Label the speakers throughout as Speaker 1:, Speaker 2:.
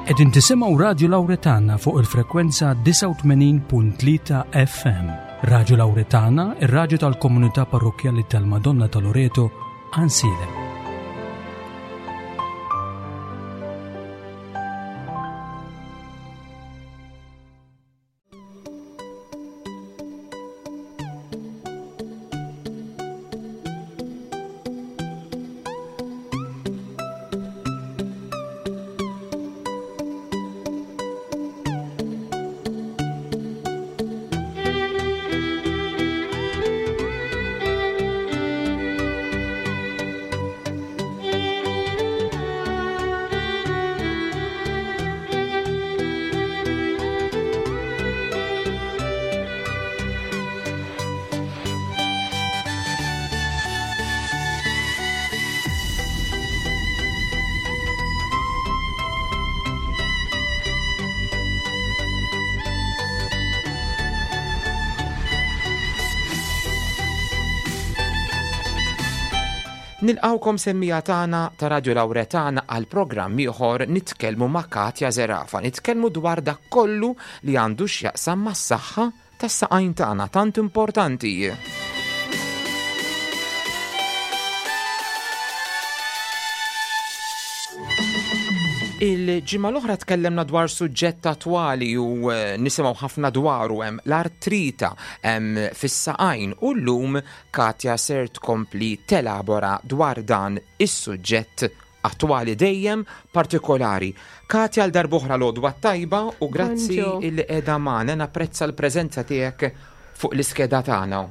Speaker 1: Qegħdin tisimgħu Radju Lawretana fuq il-frekwenza 89.3 FM. Radju Lawretana, ir-radju tal-komunità parrokkjali tal-Madonna ta' Loreto, Ansilem.
Speaker 2: Nilqawkom semmija tagħna ta' Radio Lawretana għal programm ieħor nitkellmu ma' Katja Zerafa. Nitkellmu dwar dak kollu li għandu x'jaqsam mas-saħħa tas-saqajn tagħna tant importanti. Il-ġimgħa l-oħra tkellemna dwar suġġett attwali u eh, nisimgħu ħafna dwaru hemm l-artrita hemm fis-saqajn u llum Katja ser tkompli telabora dwar dan is-suġġett attwali dejjem partikolari. Katja għal darb'oħra l-għodwa t-tajba u grazzi illi qiegħda magħna napprezza l-preżenza tiegħek fuq l-iskeda tagħna.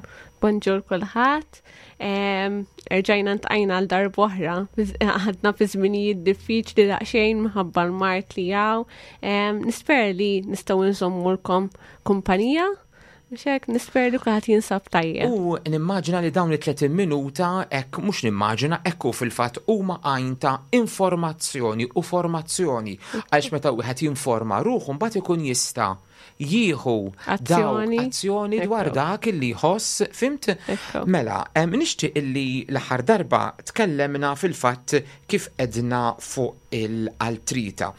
Speaker 3: Bonġur kulħadd. Erġajna ntqajna għal darb'oħra. Għadna fi żminijiet diffiċli daqsxejn minħabba l-mart li hawn. Nispera li nistgħu nżommulkom kumpanija Mhux hekk, nisper li kulħadd jinsab tajjeb.
Speaker 2: U nimmaġina li dawn it-30 minuta hekk mhux nimmaġina hekk hu fil-fatt huma għajn ta' informazzjoni u formazzjoni għaliex meta wieħed jinforma ruħu mbagħad ikun jista' jieħu
Speaker 3: azzjoni,
Speaker 2: azzjoni dwar dak illi jħoss, fimt? Mela, nixtieq illi l-aħħar darba tkellemna fil-fatt kif edna fuq il-altrita.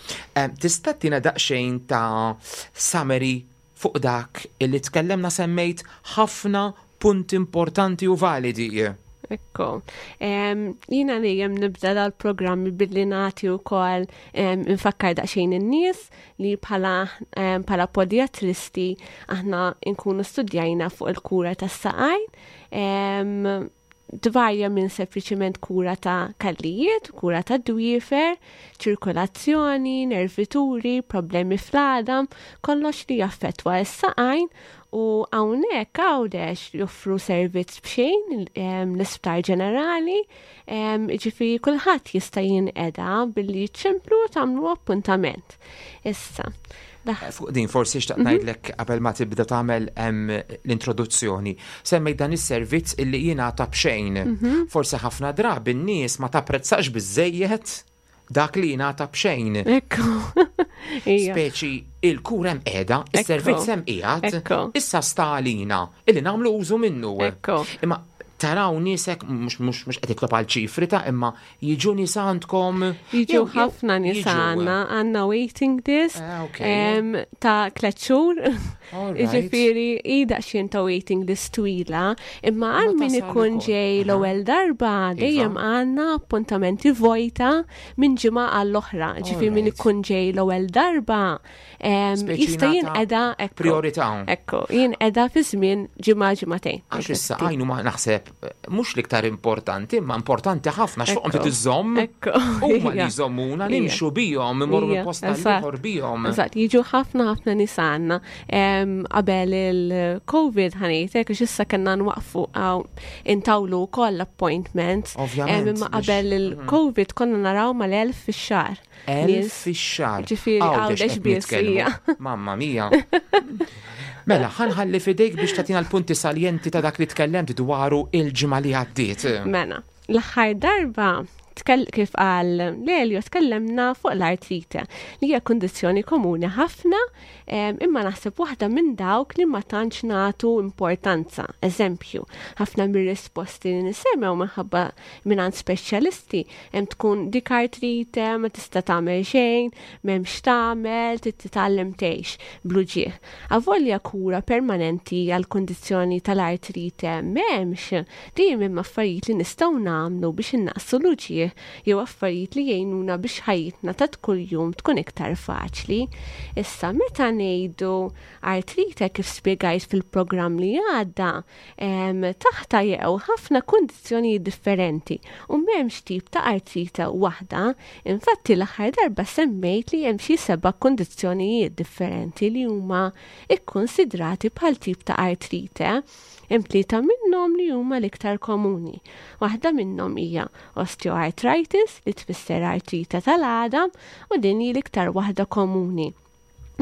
Speaker 2: Tista' tina daqsxejn ta' summary Fuq dak illi tkellemna semmejt ħafna punti importanti u validi.
Speaker 3: Ekku. Jina dejjem nibda dal-programmi billi nagħti wkoll infakkar daqsxejn in-nies li bħala bħala podiatristi aħna nkunu studjajna fuq il-kura tas-saqajn. Tvarja minn sempliċiment kura ta' kallijiet, kura ta' dwiefer, ċirkolazzjoni, nervituri, problemi fl-għadam, kollox li jaffettwa s-saqajn u hawnhekk Għawdex joffru servizz b'xejn l-Isptar Ġenerali, jiġifieri kulħadd jista' jinqeda billi ċċemplu u tagħmlu appuntament. Issa.
Speaker 2: Eh, fuq din forsi xtaqt mhm. ngħidlek qabel ma tibda tagħmel l-introduzzjoni. Semmejt dan is-servizz illi jingħata b'xejn. Mhm. Forsi ħafna drabi n-nies ma tapprezzax biżejjed dak li jingħata b'xejn.
Speaker 3: Ekku.
Speaker 2: Speċi il-kura hemm qiegħda, is-servizz hemm qiegħed, issa sta għalina illi nagħmlu użu minnu. Imma taraw niesek mhux mhux mhux qed itlob għal ċifri ta' imma Jiġu nies għandkom?
Speaker 3: Jiġu ħafna nies għandna, għandna waiting list eh, ta' tliet xhur. Jiġifieri hi daqsxejn ta' waiting list twila, imma għal min ikun ġej l-ewwel darba iva. dejjem għandna appuntamenti vojta minn ġimgħa għall-oħra. Ġifieri min ikun ġej l-ewwel darba jista' jinqeda
Speaker 2: priorità.
Speaker 3: Ekku, jinqeda fi żmien ġimgħa ġimagħtejn.
Speaker 2: Għax issa għajnu ma naħseb mhux l-iktar importanti, imma importanti ħafna x'fuqhom trid iżżomm. Huma li jżommuna nimxu bihom, imorru minn post ieħor bihom.
Speaker 3: Eżatt, jiġu ħafna ħafna nies għandna. Qabel il-COVID ħanejtek, għax issa kellna nwaqfu intawlu wkoll appointments.
Speaker 2: Ovvjament.
Speaker 3: Imma qabel mhm. il-COVID konna naraw mal-1000 fix-xahar.
Speaker 2: 1000 fix-xahar.
Speaker 3: Ġifieri għawdex biss.
Speaker 2: Mamma mia. Mela, ħanħalli fidejk biex tagħtina l-punti saljenti ta' dak li tkellemt dwaru il-ġimgħa li għaddiet.
Speaker 3: Mela, l-aħħar darba Kif qal Lelio tkellemna fuq l-artrite li hija kundizzjoni komuni ħafna imma naħseb waħda minn dawk li ma tantx nagħtu importanza. Eżempju, ħafna mir-risposti li nisemgħu minħabba mingħand speċjalisti hemm tkun dik artrite ma tista' tagħmel xejn, m'hemmx tagħmel, trid titgħallem tgħix bl-uġigħ. Avolja kura permanenti għall-kundizzjoni tal-artrite m'hemmx, dejjem hemm affarijiet li nistgħu nagħmlu biex innaqqsu l-uġigħ jew affarijiet li jgħinuna biex ħajjitna ta' kuljum tkun iktar faċli. Issa meta ngħidu artrite kif spjegajt fil-programm li għadda, taħtha jeqgħu ħafna kundizzjonijiet differenti u m'hemmx tip ta' artrite waħda. Infatti l-aħħar darba semmejt li hemm xi seba' kundizzjonijiet differenti li huma kkunsidrati bħal tip ta' artrite. Hemm tlieta minnhom li huma l-iktar komuni. Waħda minnhom hija osteoarthritis li tfisser artrite tal-għadam u din hi l-iktar waħda komuni.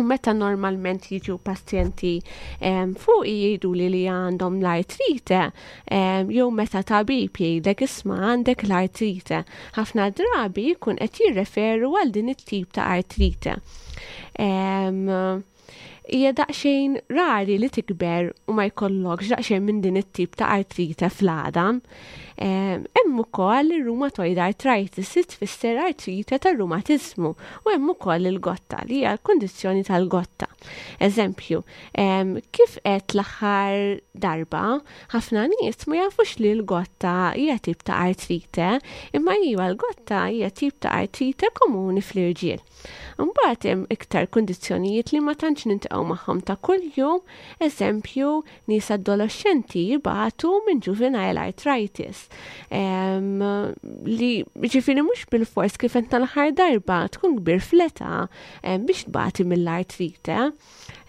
Speaker 3: U meta normalment jiġu pazjenti fuq jgħidu li li għandhom l-artrite, jew meta tabib jgħidlek isma' għandek l-artrite, ħafna drabi jkun qed jirreferu għal din it-tip ta' artrite. Hija daqsxejn rari li tikber u ma jkollokx daqsxejn minn din it-tip ta' artrite fl-għadam. Hemm ukoll ir-rheumatoid arthritis li tfisser artrite tar-rumatiżmu u hemm ukoll il-gotta li hija l-kundizzjoni tal-gotta. Eżempju, kif qed l-aħħar darba, ħafna nies ma jafux li l-gotta hija tip ta' artrite, imma iva l-gotta hija tip ta' artrite komuni fl-irġiel. Imbagħad hemm iktar kundizzjonijiet li ma tantx niltaqgħu magħhom ta' kuljum, eżempju, nies adoloxxenti jibatu minn juvenile arthritis. Li ġifieri mhux bilfors kif qed tal-aħħar darba tkun kbir fl-età biex tbati mill-artrite.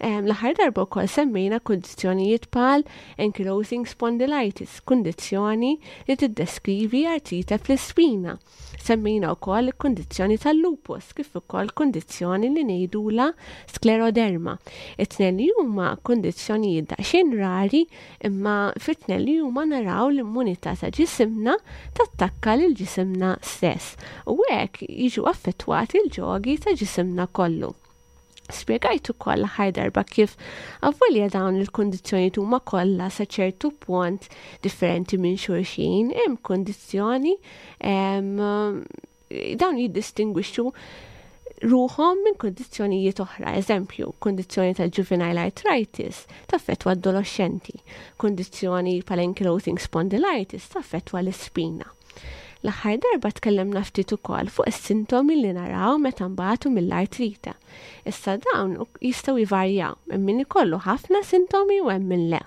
Speaker 3: L-aħħar darba wkoll semmejna kundizzjonijiet bħal ankylosing spondylitis, kundizzjoni li tiddeskrivi artrite fl-ispina. Semmejna wkoll il-kundizzjoni tal-lupus kif ukoll kundizzjoni li ngħidulha skleroderma. It-tnejn li huma kundizzjonijiet daqsxejn rari imma fit-tnejn li huma naraw l-immunità ta' ġisimna tattakka lil ġisimna stess u hekk jiġu affettwati l-ġogi ta' ġisimna kollu. Spjegajt ukoll l-aħħar darba kif avolja dawn il-kundizzjonijiet huma kollha sa ċertu punt differenti minn xulxin, hemm kundizzjoni dawn jiddistingwixxu ruħhom minn kundizzjonijiet oħra. Eżempju, kundizzjoni tal-juvenile arthritis taffettwa adolescenti, kundizzjoni bħal ankylosing spondylitis taffettwa l-ispina. L-aħħar darba tkellimna ftit ukoll fuq is-sintomi li naraw meta nbatu mill-artrite. Issa dawn jistgħu jvarjaw, hemm min ikollu ħafna sintomi u hemm min le.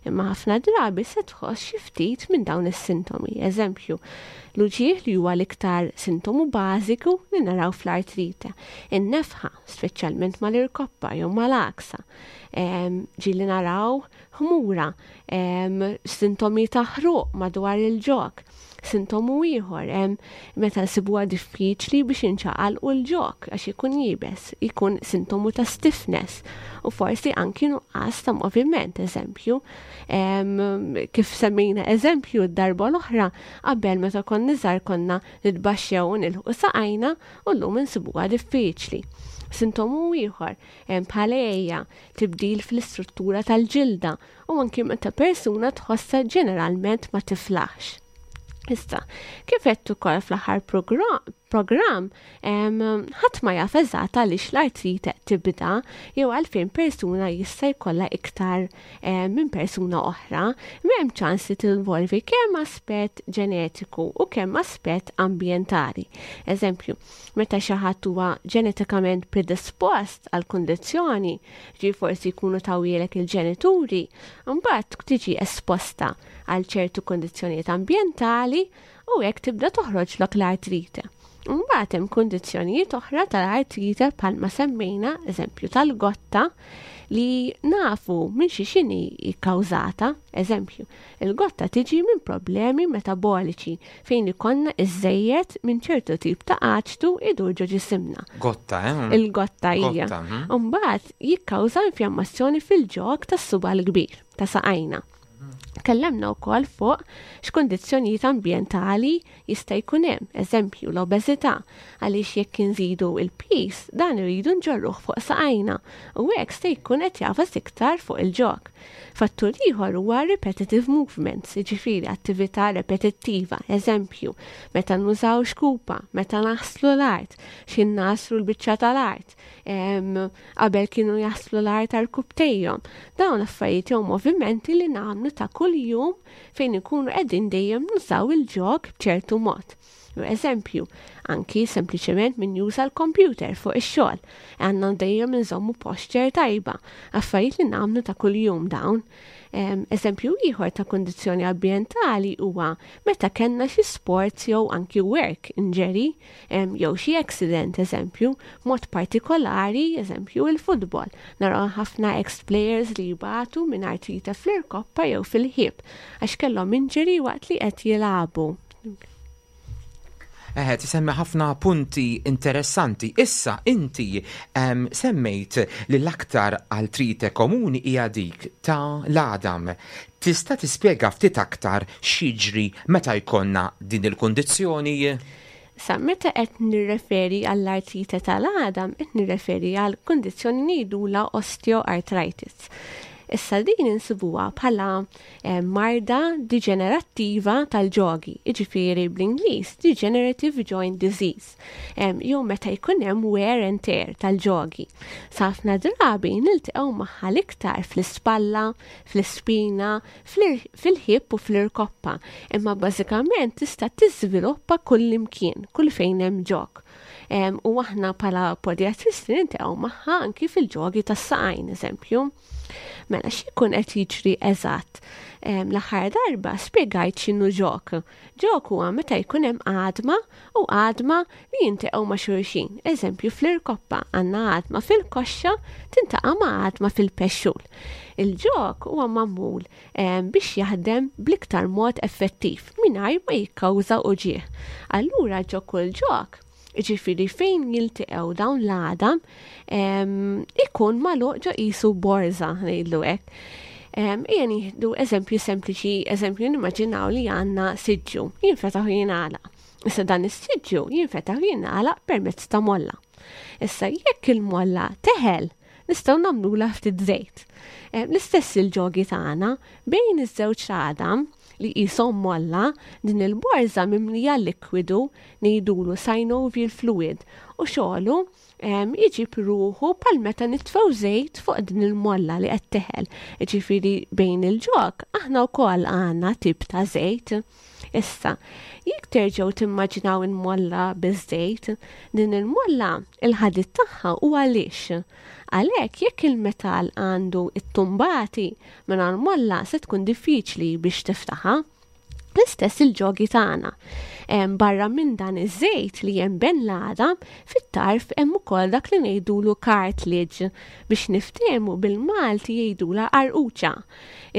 Speaker 3: Imma ħafna drabi se tħoss xi ftit minn dawn is-sintomi. Eżempju, l-uġigħ li huwa l-iktar sintomu bażiku li naraw fl-artrite. In-nefħa, speċjalment mal-irkoppa jew mal-għaksa. Ġieli naraw ħmura, sintomi ta' ħruq madwar il-ġog. Sintomu ieħor hemm meta nsibuha diffiċli biex inċaqalqu l-ġog għax ikun iebes, ikun sintomu ta' stiffness u forsi anki nuqqas ta' moviment, eżempju. Kif semmejna eżempju d-darba l-oħra, qabel meta konna żgħar konna nitbaxxew u nilħqu saqajna u llum insibuha diffiċli. Sintomu ieħor bħal għeja, tibdil fl-istruttura tal-ġilda u anki meta persuna tħossha ġeneralment ma tiflaħx. Issa, kif għedt ukoll fl-aħħar programm, ħadd ma jaf eżatt għaliex l-artrite tibda jew għalfejn persuna jista' jkollha iktar minn persuna oħra, m'hemm ċans li tinvolvi kemm aspett ġenetiku u kemm aspett ambjentali. Eżempju, meta xi ħadd huwa ġenetikament predispost għal kundizzjoni, ġi forsi jkunu tawhielek il-ġenituri, mbagħad tiġi esposta għal ċertu kundizzjonijiet ambjentali u hekk tibda toħroġlok l-artrite. Mbagħad hemm kundizzjonijiet oħra tal-artrite bħalma semmejna, eżempju tal-gotta, li nafu minn xi x'inhi kkawżata. Eżempju, il-gotta tiġi minn problemi metaboliċi fejn ikollna iżżejjed minn ċertu tip ta' aċtu idur ġo ġisimna.
Speaker 2: Gotta, eh?
Speaker 3: Il-gotta hija. Mbagħad jikkawża infjammazzjoni fil-ġog tas-suba l-kbir ta' saqajna. Tkellemna wkoll fuq x'kundizzjonijiet ambjentali jista' jkun hemm, eżempju l-obeżità, għaliex jekk inżidu il-piż dan irridu nġorruh fuq saqajna u hekk se jkun qed jagħfas iktar fuq il-ġog. Fattur ieħor huwa repetitive movements, jiġifieri attività repetittiva, eżempju, meta nużaw xkupa, meta naħslu l-art, xi nagħsru l-biċċa tal-art, qabel kienu jaħslu l-art għal-kubtejhom. Dawn affarijiet jew movimenti li nagħmlu ta' kuljum fejn ikunu qegħdin dejjem nużaw il-ġog b'ċertu mod. Eżempju, anki sempliċement min juża l-computer fuq ix-xogħol. Għandna dejjem nżommu posture tajba, affarijiet li nagħmlu ta' kuljum dawn. Eżempju ieħor ta' kundizzjoni ambjentali huwa meta kellna xi sports jew anki work injury jew xi accident eżempju, mod partikolari eżempju il-futbol. Naraw ħafna ex-players li jbatu minn artrite fl-irkoppa jew fil-ħib għax kellhom injury waqt li qed jilagħbu.
Speaker 2: Eħe, tisemmi ħafna punti interessanti. Issa, inti semmejt li l-aktar artrite komuni hija dik ta' l-għadam. Tista' tispjega ftit aktar x'jiġri meta jkollna din il-kundizzjoni?
Speaker 3: Sa meta qed nirreferi għall-artrite tal-għadam, qed nirreferi għal kundizzjoni ngħidulha osteoarthritis. Issa din insibuha bħala marda deġenerattiva tal-ġogi, jiġifieri bl-Ingliż degenerative joint disease, jew meta jkun hemm wear and tear tal-ġogi. Sa ħafna drabi niltaqgħu magħha l-iktar fl-ispalla, fl-ispina, fil-ħib u fl-irkoppa, imma bażikament tista' tiżviluppa kull imkien, kull fejn hemm ġog. U aħna bħala podiatristi niltaqgħu magħha anki fil-ġogi tas-saqajn, eżempju. Mela x'ikun qed jiġri eżatt? L-aħħar darba spjegajt x'inhu ġog. Ġog huwa meta jkun hemm għadma u għadma li jintaqgħu ma' xulxin. Eżempju fl-irkoppa għandna għadma fil-koxxa tintaqa' ma' għadma fil-pexxul. Il-ġog huwa magħmul biex jaħdem bl-iktar mod effettiv mingħajr ma jikkawża uġigħ. Allura ġo kull ġog, jiġifieri fejn jiltaqgħu dawn l-għadam, ikun magħluq ġo qisu borża ngħidlu hekk. Ejja nieħdu eżempju sempliċi, eżempju nimmaġinaw li għandna siġġu, jinfetaħ u jingħalaq. Issa dan is-siġġu jinfetaħ u jingħalaq permezz ta' molla. Issa jekk il-molla teħel, nistgħu nagħmlulha ftit żejt. L-istess il-ġogi tagħna bejn iż-żewġ għadam li qishom molla, din il-borża mimlija likwidu ngħidulu synovial fluid u xogħlu iġib ruħu bħal meta nitfgħu żejt fuq din il-molla li qed teħel. Jiġifieri bejn il-ġog aħna wkoll għandna tip ta' żejt. Issa, jekk terġgħu timmaġinaw il-molla biż-żejt, din il-molla il-ħadid tagħha huwa lix. Għalhekk jekk il-metall għandu it-tumbati minn molla se tkun diffiċli biex tiftaħha. L-istess il-ġogi tagħna. Barra minn dan iż-żejt li hemm bejn l-għadam, fit-tarf hemm ukoll dak li ngħidulu cartilage biex niftehmu bil-Malti jgħidula qarquċa.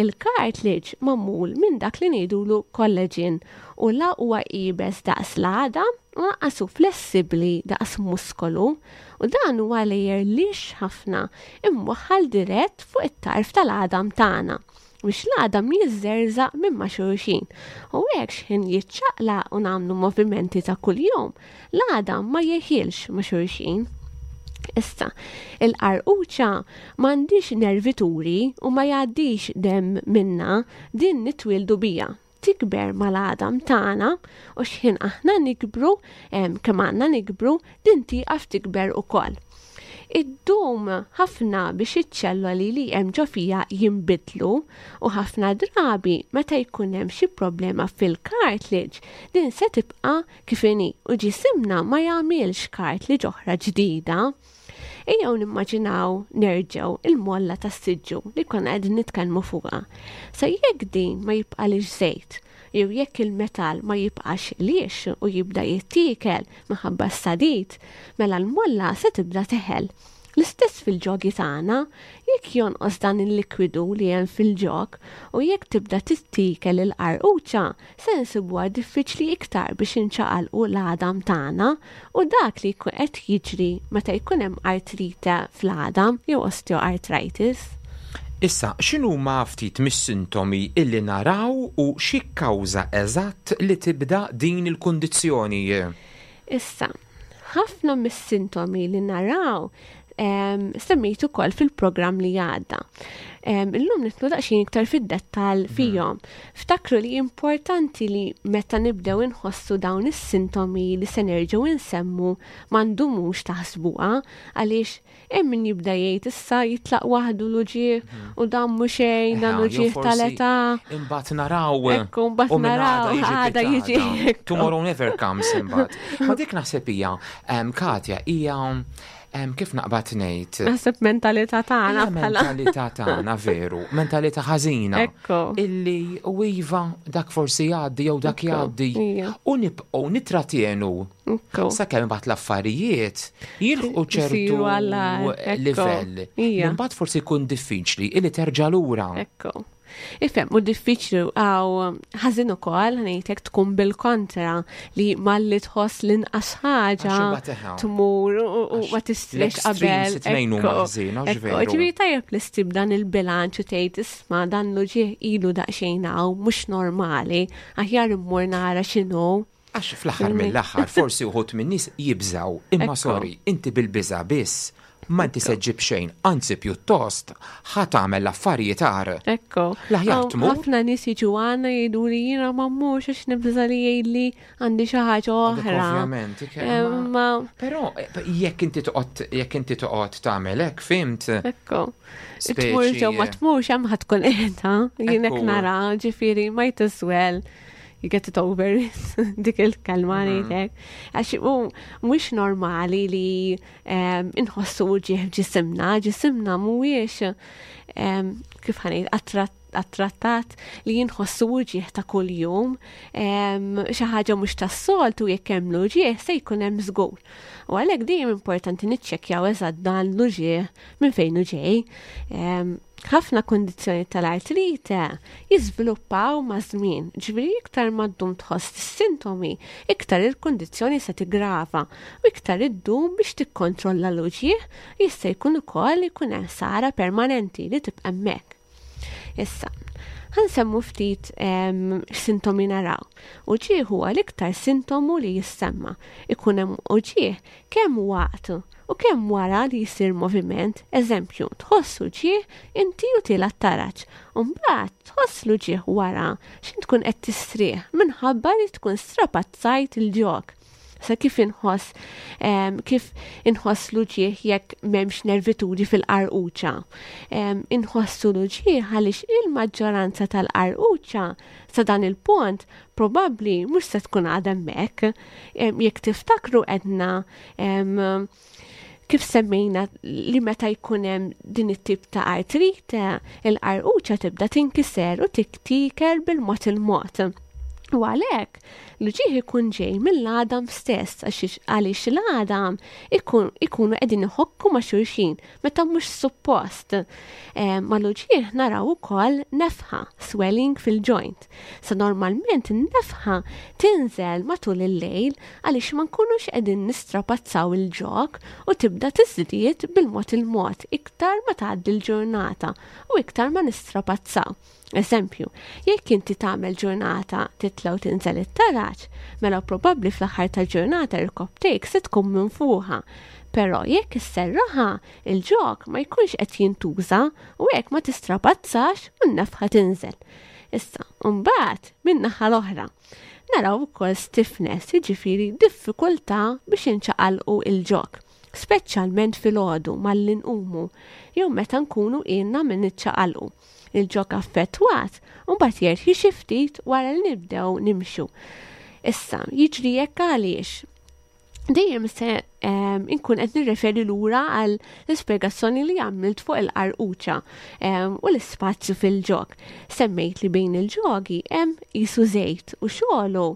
Speaker 3: Il-cartilage magħmul minn dak li ngħidulu collagen u la huwa iebes daqs l-għadam u lanqas hu flessibbli daqs muskolu u dan huwa layer lix ħafna imwaħħal dirett fuq it-tarf tal-għadam tagħna biex l-għadam jiżżerżaq minn ma' xulxin. U hekk x'ħin jiċċaqlaq u nagħmlu movimenti ta' kuljum, l-għadam ma jeħilx ma' xulxin. Issa, il-qarquċa m'għandix nervituri u ma jgħaddix dem minna, din nitwildu bija. Tikber mal-għadam tagħna u x'ħin aħna nikbru, kemm għandna nikbru, din tieqaf tikber ukoll. Iddum ħafna biex iċ-ċelloli li hemm ġo fija jinbidlu u ħafna drabi meta jkun hemm xi problema fil-cartilage din se tibqa' kif inhi u ġisimna ma jagħmilx cartilage oħra ġdida. Ejjew nimmaġinaw nerġgħu il-molla tas-siġġu li konna qegħdin nitkellmu fuqha. Sa jekk din ma jibqalix żejt, jew jekk il-metall ma jibqax lix u jibda jittiekel minħabba s-sadid, mela l-molla se tibda teħel. L-istess fil-ġogi tagħna, jekk jonqos dan il-likwidu li hemm fil-ġog u jekk tibda tittiekel il-qarquċa, se nsibuha diffiċli iktar biex inċaqalqu l-għadam tagħna u dak li jkun qed jiġri meta jkun hemm artrite fl-għadam jew osteoarthritis.
Speaker 2: Issa, x'inhuma ftit mis-sintomi illi naraw u x'jikkawża eżatt li tibda din il-kundizzjoni?
Speaker 3: Issa, ħafna mis-sintomi li naraw semmejt ukoll fil-programm li għadda. Illum nitlu daqsxejn iktar fid-dettall mhm. fihom. Ftakru li importanti li meta nibdew inħossu dawn is-sintomi li se nerġgħu insemmu ma ndumux taħsbuha għaliex Hemm min jibda jgħid issa jitlaq waħdu l-uġigħ mhm. u dan mhu xejn, dan uġigħ tal-età.
Speaker 2: Imbagħad naraw.
Speaker 3: Ekku, mbagħad naraw għada jiġi.
Speaker 2: Tomorrow never comes imbagħad. Ma dik naħseb hija, Katja, hija kif naqbad ngħid.
Speaker 3: Naħseb mentalità tagħna
Speaker 2: bħala. Mentalità tagħna veru, mentalità ħażina.
Speaker 3: Ekku.
Speaker 2: Illi u iva dak forsi jgħaddi jew dak jgħaddi. U nibqgħu nitratjenu Sakemm imbagħad l-affarijiet jilħqu ċertu livell. Imbagħad forsi jkun diffiċli illi terġa' lura.
Speaker 3: Ekku. Ifhem, u diffiċli għaw ħażin ukoll ngħidlek tkun bil-kontra li malli tħoss l-inqas ħaġa tmur u ma tistrix qabel. Ġifieri tajjeb li ssib dan il-bilanċ u tgħid isma' dan l-uġigħ ilu daqsxejn hawn mhux normali, aħjar immur nara x'inhu.
Speaker 2: Għax fl-aħħar mill-aħħar forsi uħud min-nies jibżgħu, imma sorry, inti bil-biża' biss ma inti se ġġib xejn, anzi pjuttost ħa tagħmel l-affarijiet agħar.
Speaker 3: Ekku.
Speaker 2: L-aħjar tmur.
Speaker 3: Ħafna nies jiġu għandna jgħiduli jiena ma mmurx għax nibża' li jgħidli għandi xi ħaġa oħra.
Speaker 2: Ovvjament.
Speaker 3: Imma.
Speaker 2: Però jekk inti toqgħod jekk inti toqgħod tagħmel hekk, fimt?
Speaker 3: Ekku. Tmur ġew ma tmurx hemm ħa tkun qiegħda, jien hekk nara, ġifieri might as well you get it over dik il-kelma mhm. ngħidlek. Għax mhux normali li inħossu ġieħ ġisimna, ġisimna mhuwiex kif ħanejt attrattat li jinħossu uġieħ ta' kuljum, xi ħaġa mhux tas-soltu jekk hemm l-uġieħ se jkun hemm żgur. U għalhekk dejjem importanti niċċekkjaw eżatt dan l-uġieħ minn fejn hu ġej. Ħafna kundizzjonijiet tal-artrite jiżviluppaw maż-żmien, ġifieri iktar ma ddum tħoss is-sintomi, iktar il-kundizzjoni se tiggrava u iktar iddum biex tikkontrolla l-uġigħ, jista' jkun ukoll jkun hemm ħsara permanenti li tibqa' hemmhekk. Issa, ħa nsemmu ftit x'sintomi naraw. Uġigħ huwa l-iktar sintomu li jissemma. Ikun hemm uġigħ kemm waqt u kemm wara li jsir moviment, eżempju, tħoss uġigħ inti u tiela' t-taraġ, u mbagħad tħoss l-uġigħ wara x'int tkun qed tistrieħ minħabba li tkun strapazzajt il-ġog. Sa kif inħoss kif inħoss l-uġigħ jekk m'hemmx nervituri fil-qarquċa. Inħossu l-uġigħ għaliex il-maġġoranza tal-qarquċa sa dan il-punt probabbli mhux se tkun għadha hemmhekk. Jekk tiftakru għedna kif semmejna li meta jkun hemm din it-tip ta' artrite, il-qarquċa tibda tinkiser u tiktiker bil-mod il-mod. U għalhekk l-uġigħ ikun ġej mill-għadam stess għaliex l-għadam ikunu qegħdin iħokku ma' xulxin meta mhux suppost. Mal-uġigħ naraw ukoll nefħa, swelling fil-joint. Sa normalment in-nefħa tinżel matul il-lejl għaliex ma nkunux qegħdin nistrapazzaw il-ġog u tibda tiżdied bil-mod il-mod iktar ma tgħaddi l-ġurnata u iktar ma nistrapazzaw. Eżempju, jekk inti tagħmel ġurnata titla' u tinżel it-taraġ, mela probabbli fl-aħħar tal-ġurnata irkopptejk se tkun minfuħa. Però jekk isserraħha, il-ġog ma jkunx qed jintuża u hekk ma tistrapazzax u n-nefħa tinżel. Issa, mbagħad min-naħa l-oħra, naraw ukoll stiffness, jiġifieri diffikultà biex inċaqalqu il-ġog, speċjalment filgħodu malli nqumu jew meta nkunu ilna minn niċċaqalqu. Il-ġog affettwat mbagħad jerħi xi ftit wara li nibdew nimxu. Issa, jiġri hekk għaliex dejjem se inkun qed nirreferi lura għal l-ispjegazzjoni li għamilt fuq il-qarquċa u l-ispazju fil-ġog. Semmejt li bejn il-ġogi hemm qisu żejt u xogħlu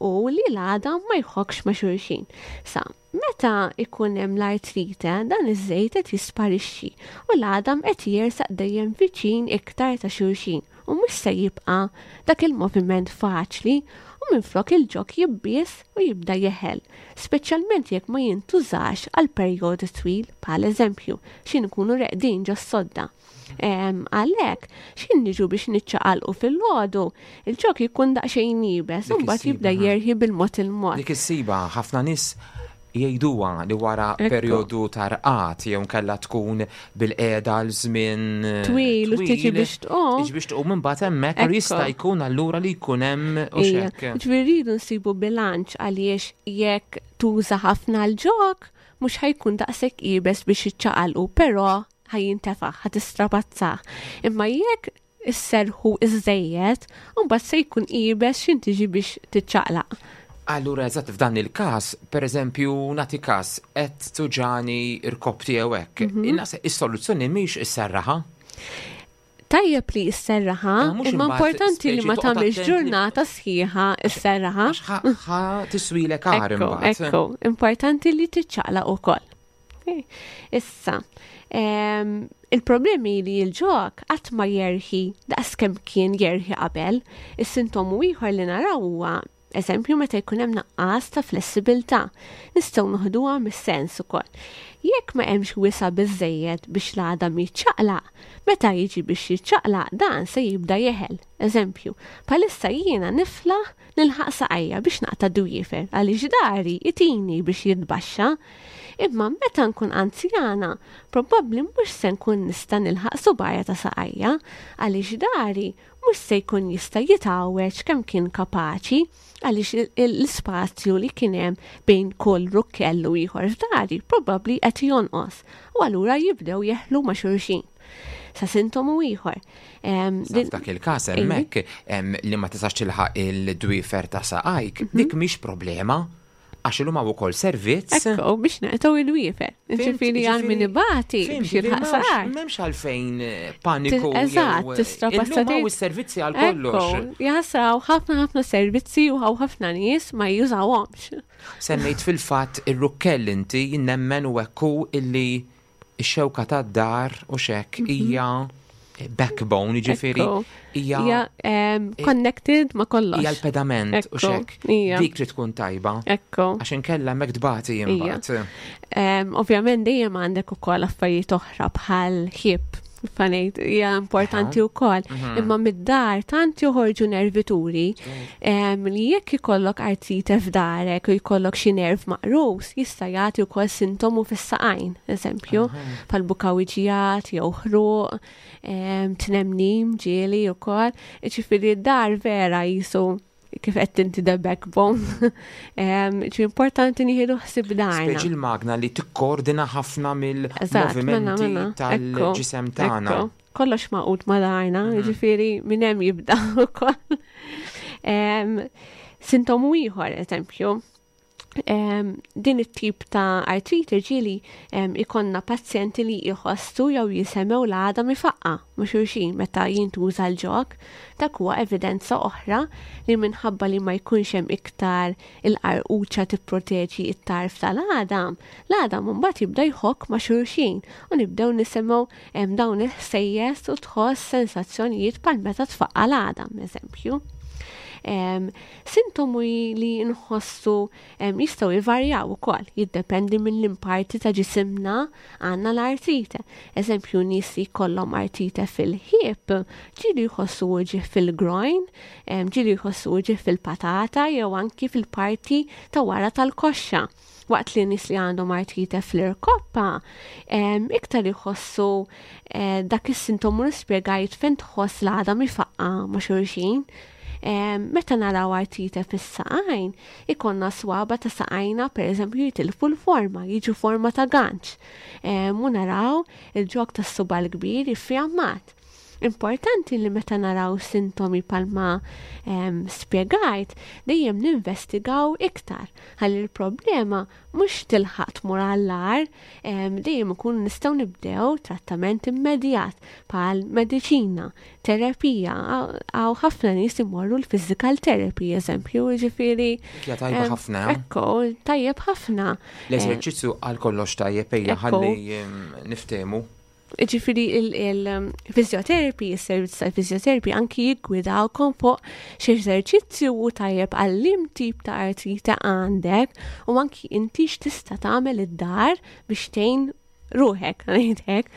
Speaker 3: u li l-għadam ma jħokkx ma' xulxin. Sa, meta ikun hemm l-artrite, dan iż-żejt qed jisparixxi u l-għadam qed jersaq dejjem viċin iktar ta' xulxin u mhux se jibqa' dak il-moviment faċli. u minflok il-ġog jibbies u jibda jeħel, speċjalment jekk ma jintużax għal perjodu twil bħal eżempju xi nkunu reqdin ġos-sodda. Għalhekk, xi niġu biex niċċaqalqu fil-għodu, il-ġog jkun daqsxejn iebes u mbagħad jibda jerħi bil-mod il-mod.
Speaker 2: Dik is-siba ħafna nies jgħiduha li wara perjodu ta' rqad jew nkella tkun bil-qiegħda għal żmien
Speaker 3: eh, twil u tiġi biex tqum.
Speaker 2: Tiġi biex tqum imbagħad hemmhekk u jista' jkun allura li jkun hemm u xekk.
Speaker 3: Ġifieri rridu nsibu bilanċ għaliex jekk tuża ħafna l-ġok mhux ħajkun daqshekk iebes biex iċċaqalqu, però ħajintefaħ, ħa tistrapazzah. Imma jekk isserrħu iżżejjed, imbagħad se jkun iebes x'in tiġi biex tiċċaqlaq.
Speaker 2: Allura eżatt f'dan il-każ, pereżempju nagħti każ qed tuġani rkoppti jew hekk, mhm. is-soluzzjoni mhix isserraħa.
Speaker 3: Tajjeb li isserraħa, eh, imma importanti li ma tagħmilx ġurnata sħiħa isserraħa.
Speaker 2: Ħa tiswilek għar
Speaker 3: imbagħad. Ekku, importanti li tiċċaqlaq ukoll. Issa, il-problemi li l-ġok qatt ma jerħi daqs kemm kien jerħi qabel, is-sintomu ieħor li naraw huwa eżempju meta jkun hemm naqqas ta' flessibilità. Nistgħu noħduha mis-sens ukoll. Jekk ma hemmx wisa' biżejjed biex l-għadam jiċċaqlaq, meta jiġi biex jiċċaqlaq dan se jibda jeħel. Eżempju, bħalissa jiena niflaħ nilħaq saqajja biex naqta' dwiefer għaliex dari itini biex jitbaxxa. Imma meta nkun anzjana, probabbli mhux se nkun nista' nilħaq subgħajja ta' saqajja għaliex dari mhux se jkun jista' jitgħawweġ kemm kien kapaċi għaliex l-ispazju li kien hemm bejn kull rukkell u ieħor f'dari probabbli qed jonqos u allura jibdew jeħlu ma' xulxin. Sa sintomu ieħor.
Speaker 2: F'dak il-każ hemmhekk li ma tistax tilħaq il-dwiefer ta' saqajk, mhm. dik mhix problema għax illum hawn ukoll servizz.
Speaker 3: Ekku, biex naqtgħu il-wiefer. Ġifieri għal min ibati biex jilħaq saqajk.
Speaker 2: M'hemmx għalfejn eh, paniku.
Speaker 3: Eżatt, tista'
Speaker 2: passati. Illum is-servizzi għal kollox.
Speaker 3: Jaħsraw ħafna ħafna servizzi u hawn ħafna nies ma jużawhomx.
Speaker 2: Semmejt fil-fatt ir-rukkell inti nemmen u ekku illi ix-xewka tad-dar u xek mhm. hija backbone, ġifiri
Speaker 3: hija connected ma kollox.
Speaker 2: Hija l-pedament u xek. Dik trid tkun tajba.
Speaker 3: Ekku.
Speaker 2: Għax inkella hemmhekk tbati imbagħad.
Speaker 3: Ovvjament dejjem għandek ukoll affarijiet oħra bħal ħib fanejt, hija importanti wkoll. Mhm. Imma mid-dar tant joħorġu nervituri li jekk ikollok artrite f'darek u jkollok xi nerv maqrus, jista' jagħti wkoll sintomu fis-saqajn, eżempju, bħal bukawiġijat jew ħruq, tnemnim ġieli wkoll. Ġifieri d-dar vera jisu kif qed inti the backbone. Ġi importanti nieħdu ħsieb darna.
Speaker 2: Speċi l-magna li tikkoordina ħafna mill-movimenti mela, mela. tal-ġisem tagħna.
Speaker 3: Kollox maqut ma darna, mhm. ġifieri minn hemm jibda ukoll. Sintomu ieħor, eżempju, din it-tip ta' artrite ġieli ikonna pazjenti li jħossu jew jisemgħu l-għadam ifaqqa' ma' xulxin meta jintuża l-ġog. Dak huwa evidenza oħra li minħabba li ma jkunx hemm iktar il-qarquċa tipproteġi t-tarf tal-għadam, l-għadam imbagħad jibda jħokk ma' xulxin u nibdew nisimgħu dawn il-ħsejjes u tħoss sensazzjonijiet bħal meta tfaqqa' l-għadam, eżempju. Sintomi li nħossu jistgħu jvarjaw ukoll, jiddependi minn liem parti ta' ġisimna għandna l-artrite. Eżempju, nies li jkollhom artrite fil-ħieb, ġieli jħossu uġigħ fil-groin, ġieli jħossu uġigħ fil-patata jew anki fil-parti ta' wara tal-koxxa. Waqt li nies li għandhom artrite fl-irkoppa, iktar jħossu eh, dak is-sintomu li spjegajt fejn tħoss l-għadam ifaqqa ma' xulxin. Meta naraw artrite fis-saqajn, ikonna swaba ta' saqajna pereżempju jitilfu l-forma, jiġu forma ta' ganċ. U naraw il-ġog tas-suba l-kbir iffjammat. Importanti li meta naraw sintomi palma spjegajt, dejjem ninvestigaw iktar ħalli l-problema mhux tilħaq tmur għall-agħar, dejjem ikunu nistgħu nibdew trattament immedjat bħal mediċina, terapija, hawn ħafna nies imorru l-physical therapy eżempju, jiġifieri.
Speaker 2: Hija tajba ħafna.
Speaker 3: Ekku, tajjeb ħafna.
Speaker 2: L-eżerċizzju għal kollox tajjeb ejja ħalli niftehmu.
Speaker 3: Ġifieri il-physiotherapy, il-servizz tal-physiotherapy anki jiggwidawkom fuq xi eżerċizzju u tajjeb għal liem tip ta' artrite għandek u anki inti x'tista' tagħmel id-dar biex tgħin ruħek, ngħidlek.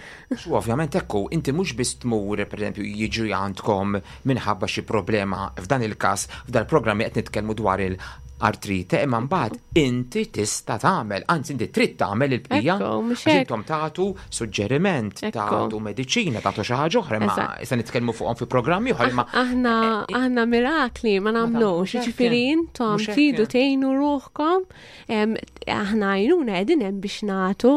Speaker 2: U ovvjament ekku, inti mhux biss tmur, pereżempju, jiġu għandkom minħabba xi problema f'dan il-każ, f'dal programmi qed nitkellmu dwar il-artrite, imma mbagħad inti tista' tagħmel, anzi inti trid tagħmel il-bqija. Għax intom tagħtu suġġeriment, tagħtu mediċina, tagħtu xi ħaġa oħra, imma issa nitkellmu fuqhom fi programmi oħra, imma
Speaker 3: Aħna aħna mirakli ma nagħmlux, jiġifieri intom tridu tgħinu ruħkom. Aħna għajnuna qegħdin hemm biex nagħtu,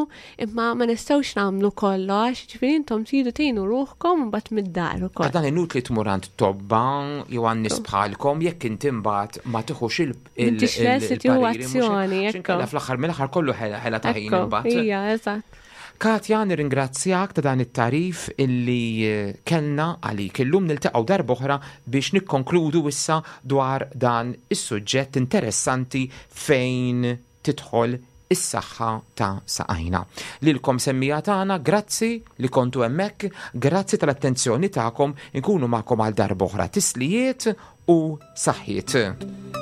Speaker 3: imma ma nistgħux nagħmlu kollox, ġifieri intom tridu tgħinu ruħkom mbagħad mid-dar ukoll.
Speaker 2: Dan inutli tmur għand tobba jew għand nies bħalkom jekk inti mbagħad ma tieħux il
Speaker 3: M'intix lest li tieħu azzjoni,
Speaker 2: ekku. Fl-aħħar mill-aħħar kollu ħela ta' ħin imbagħad.
Speaker 3: Ija, eżatt.
Speaker 2: Katja, nirringrazzjak ta' dan it-tagħrif illi eh, kellna għalik. Illum niltaqgħu darb'oħra biex nikkonkludu issa dwar dan is-suġġett interessanti fejn tidħol is-saħħa ta' saqajna. Lilkom semmija tagħna, grazzi li kontu hemmhekk, grazzi tal-attenzjoni tagħkom, inkunu magħkom għal darb'oħra. Tislijiet u saħħiet.